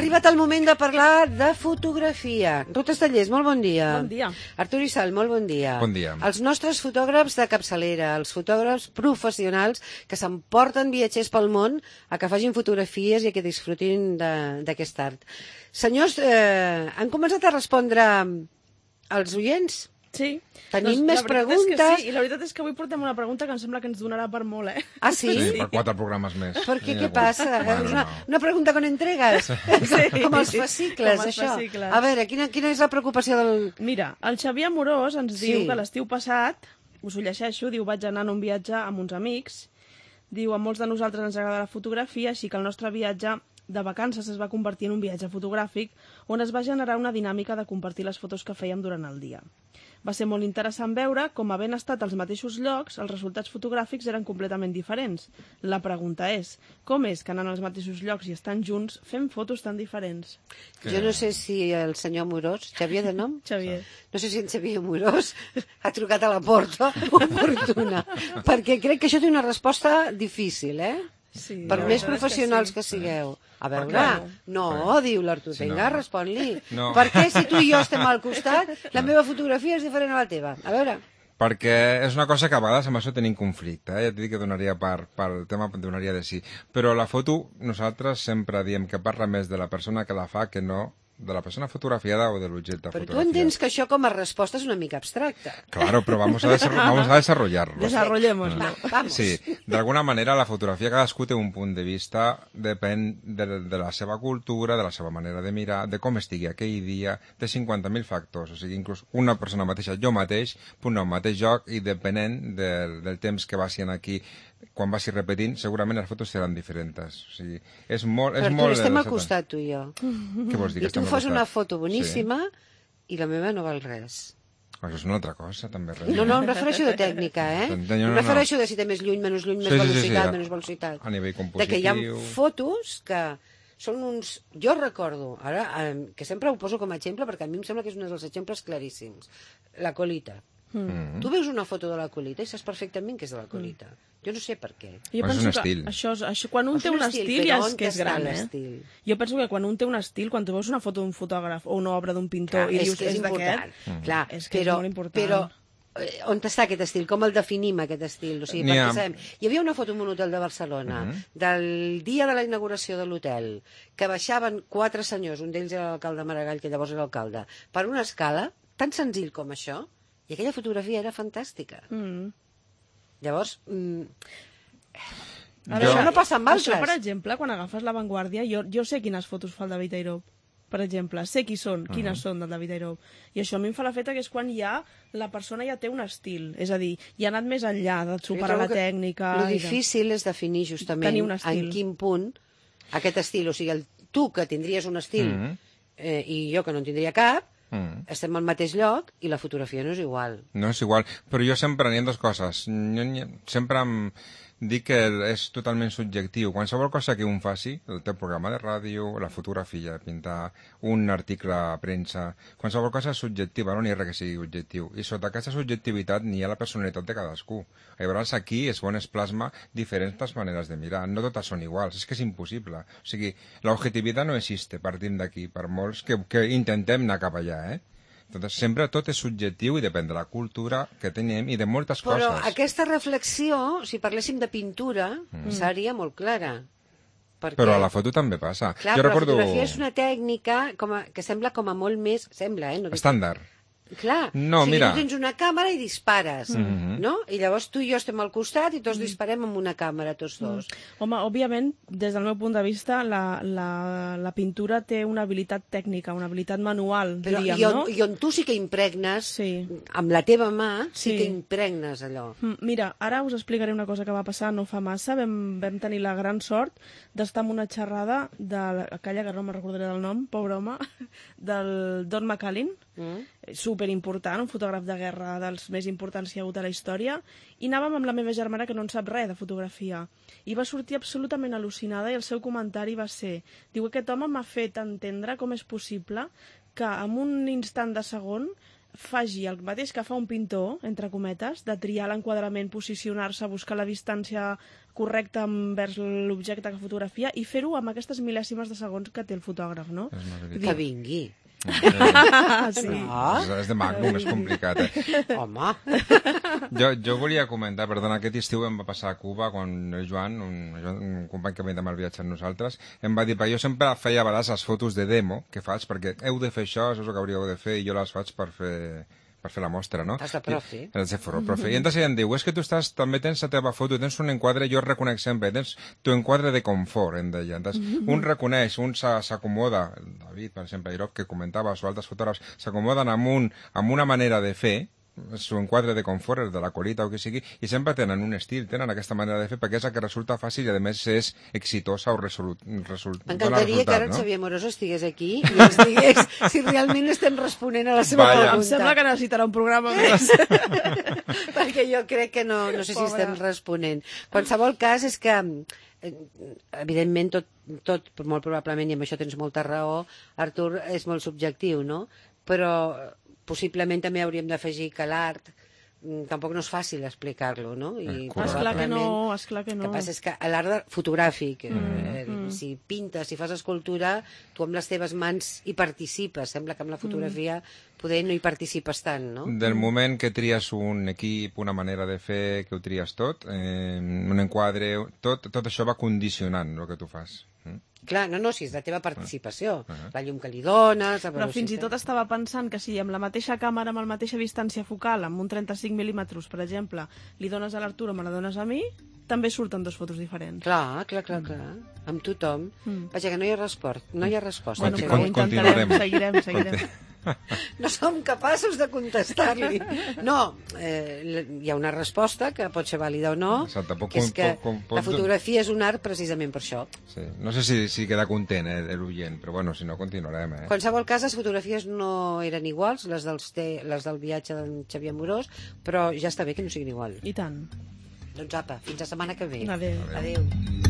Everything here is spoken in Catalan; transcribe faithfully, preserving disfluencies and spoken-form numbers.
arribat el moment de parlar de fotografia. Ruth Estellers, molt bon dia. Bon dia. Artur Issal, molt bon dia. Bon dia. Els nostres fotògrafs de capçalera, els fotògrafs professionals que s'emporten viatgers pel món a que facin fotografies i a que disfrutin d'aquest art. Senyors, eh, han començat a respondre als oients? Sí. Tenim doncs, més preguntes. Sí, i la veritat és que avui portem una pregunta que em sembla que ens donarà per molt, eh? Ah, sí? Sí, per quatre programes més. Per què? Què passa? Bueno, és una, no. una pregunta con entregues. Sí. Com els fascicles, Com els això. fascicles. A veure, quina, quina és la preocupació del... Mira, el Xavier Amorós ens Sí. diu que l'estiu passat, us ho llegeixo, diu, vaig anar en un viatge amb uns amics, diu, a molts de nosaltres ens agrada la fotografia, així que el nostre viatge de vacances es va convertir en un viatge fotogràfic on es va generar una dinàmica de compartir les fotos que fèiem durant el dia. Va ser molt interessant veure com, havent estat als mateixos llocs, els resultats fotogràfics eren completament diferents. La pregunta és, com és que anant als mateixos llocs i estan junts fem fotos tan diferents? Que... Jo no sé si el senyor Amorós, Xavier de nom? Xavier. No sé si en Xavier Amorós ha trucat a la porta oportuna, perquè crec que això té una resposta difícil, eh? Sí, Per la més veritat és professionals que, sí. que sigueu. A Per veure, què? no, Per- diu l'Artur, Sí, vinga, no. respon-li. No. Per què si tu i jo estem al costat, la meva fotografia és diferent a la teva? A veure... Perquè és una cosa que a vegades amb això tenim conflicte, eh? Ja t'he dit que donaria per, per el tema, donaria de sí. Però la foto, nosaltres sempre diem que parla més de la persona que la fa que no de la persona fotografiada o de l'objecte Però tu fotografiat. entens que això com a resposta és una mica abstracta. Claro, pero vamos a, desarro- vamos a desarrollarlo. Desarrollémoslo. Va, vamos. Sí, d'alguna manera la fotografia cadascú té un punt de vista, depèn de, de la seva cultura, de la seva manera de mirar, de com estigui aquell dia, de cinquanta mil factors. O sigui, inclús una persona mateixa, jo mateix, puc anar al mateix lloc i depenent del, del temps que vagin aquí, quan vagi repetint, segurament les fotos seran diferents. O sigui, és molt... És Però molt Artur, estem al de- costat, tu i jo. Què vols dir? I que tu estem al fas una costat? foto boníssima i la meva no val res. Sí. Això és una altra cosa, també. Res. No, no, em refereixo de tècnica, eh? No, no, Em no. refereixo de si té més lluny, menys lluny, més Sí, sí, sí, velocitat, sí, menys velocitat. a nivell De que hi ha compositiu. fotos que són uns... Jo recordo, ara, eh, que sempre ho poso com a exemple, perquè a mi em sembla que és un dels exemples claríssims. La colita. Mm. Tu veus una foto de la colita i saps perfectament que és de la colita. Jo no sé per què. Jo Però és penso un que estil. això, és- això, quan un És té un un estil, estil, però ja on és que és està gran, eh? l'estil? Jo penso que quan un té un estil, quan tu veus una foto d'un fotògraf o una obra d'un pintor Clar, i és dius, que és és important. d'aquest, Mm. Clar, és que és però, molt important. Però eh, on està aquest estil? Com el definim, aquest estil? O sigui, N'hi perquè ha- sabem... Hi havia una foto en un hotel de Barcelona, Mhm. del dia de la inauguració de l'hotel, que baixaven quatre senyors, un d'ells era l'alcalde Maragall, que llavors era alcalde, per una escala tan senzill com això, i aquella fotografia era fantàstica. Mm. Llavors, mm, A Jo- això no passa amb Això, per altres. exemple, quan agafes La Vanguardia, jo, jo sé quines fotos fa el David Airop, per exemple, sé qui són, quines són del David Airop. I això a mi em fa l'efecte que és quan ja la persona ja té un estil, és a dir, ja ha anat més enllà de superar Jo la trobo que tècnica... Lo i de- difícil és definir justament Tenir un estil. en quin punt aquest estil, o sigui, el, tu que tindries un estil Mhm. eh, i jo que no en tindria cap, Mm. estem al mateix lloc i la fotografia no és igual. No és igual, però jo sempre n'hi ha dues coses. Jo n'hi ha- sempre em dic que és totalment subjectiu. Qualsevol cosa que un faci, el teu programa de ràdio, la fotografia, pintar un article a premsa, qualsevol cosa és subjectiva, no n'hi ha res que sigui objectiu. I sota aquesta subjectivitat n'hi ha la personalitat de cadascú. Llavors aquí és on es plasma diferents maneres de mirar. No totes són iguals, és que és impossible. O sigui, l'objectivitat no existe, partim d'aquí, per molts que, que intentem anar cap allà, eh? Entonces, sempre tot és subjectiu i depèn de la cultura que tenim i de moltes Però coses. aquesta reflexió, si parléssim de pintura, mm. seria molt clara. Perquè, Però a la foto també passa. clar, jo però recordo... la fotografia és una tècnica com a, que sembla com a molt més... Sembla, eh? No dic- Estàndard. Clar, No, o sigui, mira. tu tens una càmera i dispares, Mhm. no? I llavors tu i jo estem al costat i tots disparem amb una càmera, tots dos. Home, òbviament, des del meu punt de vista, la, la, la pintura té una habilitat tècnica, una habilitat manual, Però diríem, i on, no? i on tu sí que impregnes, Sí. amb la teva mà, sí, Sí. que impregnes allò. Mm, Mira, ara us explicaré una cosa que va passar no fa massa. Vam, vam tenir la gran sort d'estar en una xerrada de la- aquella, que no me'n recordaré del nom, pobre home, del Don McCallin, Mm? superimportant, un fotògraf de guerra dels més importants que hi ha hagut a la història, i anàvem amb la meva germana que no en sap res de fotografia. I va sortir absolutament al·lucinada i el seu comentari va ser, diu, aquest home m'ha fet entendre com és possible que en un instant de segon faci el mateix que fa un pintor, entre cometes, de triar l'enquadrament, posicionar-se, buscar la distància correcte envers l'objecte que fotografia i fer-ho amb aquestes mil·lèsimes de segons que té el fotògraf, no? Que vingui. Ah, sí. No? És, és de Magnum, és complicat, eh? Home. Jo, jo volia comentar, perdona, aquest estiu em va passar a Cuba quan el Joan, un, un company que ve demà al viatge amb nosaltres, em va dir, jo sempre feia a vegades les fotos de demo que faig, perquè heu de fer això, això és el que hauríeu de fer, i jo les faig per fer... per fer la mostra, no? Has de profe. I, has de fer profe. I entonces ella em diu, és que tu estàs, també tens la teva foto, tens un enquadre, jo reconec sempre, tens tu enquadre de confort, em deia. Entonces, un reconeix, un s'acomoda, David, per exemple, Irop, que comentava, o altres fotògrafs, s'acomoden amb, un, amb una manera de fer, su enquadre de confort, el de la colita o que sigui, i sempre tenen un estil, tenen aquesta manera de fer, perquè és la que resulta fàcil i, a més, és exitosa o resolu resol M'encantaria que ara el no? Xavier Amorós estigués aquí i ens digués si realment estem responent a la seva Vaya. pregunta. Em sembla que necessitarà un programa més. Perquè jo crec que no, no sé si estem responent. Qualsevol cas és que, evidentment, tot, tot, molt probablement, i amb això tens molta raó, Artur, és molt subjectiu, no? Però possiblement també hauríem d'afegir que l'art tampoc no és fàcil explicar-lo, no? I esclar que no, esclar que no. El que passa és que l'art fotogràfic, mm, eh, mm. si pintes, si fas escultura, tu amb les teves mans hi participes. Sembla que amb la fotografia mm. poder no hi participes tant, no? Del moment que tries un equip, una manera de fer, que ho tries tot, eh, un enquadre, tot, tot això va condicionant el que tu fas. Mm? Clar, no, no, si és la teva participació, uh -huh. la llum que li dones... La Però fins i tot estava pensant que si amb la mateixa càmera, amb la mateixa distància focal, amb un trenta-cinc mil·límetres, per exemple, li dones a l'Artur o me la dones a mi, també surten dos fotos diferents. Clar, clar, clar, clar. Amb tothom. Mm. Vaja, que no hi ha resposta. No hi ha resposta. Bueno, però ho intentarem, seguirem, seguirem. No som capaços de contestar-li. No, eh, hi ha una resposta que pot ser vàlida o no, Exacte, poc, que és que poc, poc, la fotografia és un art precisament per això. Sí. No sé si, si queda content eh, l'oient, però bueno, si no, continuarem. Eh? En qualsevol cas, les fotografies no eren iguals, les, dels te, les del viatge d'en Xavier Amorós, però ja està bé que no siguin iguals. I tant. Doncs apa, fins la setmana que ve. Adéu. Adéu.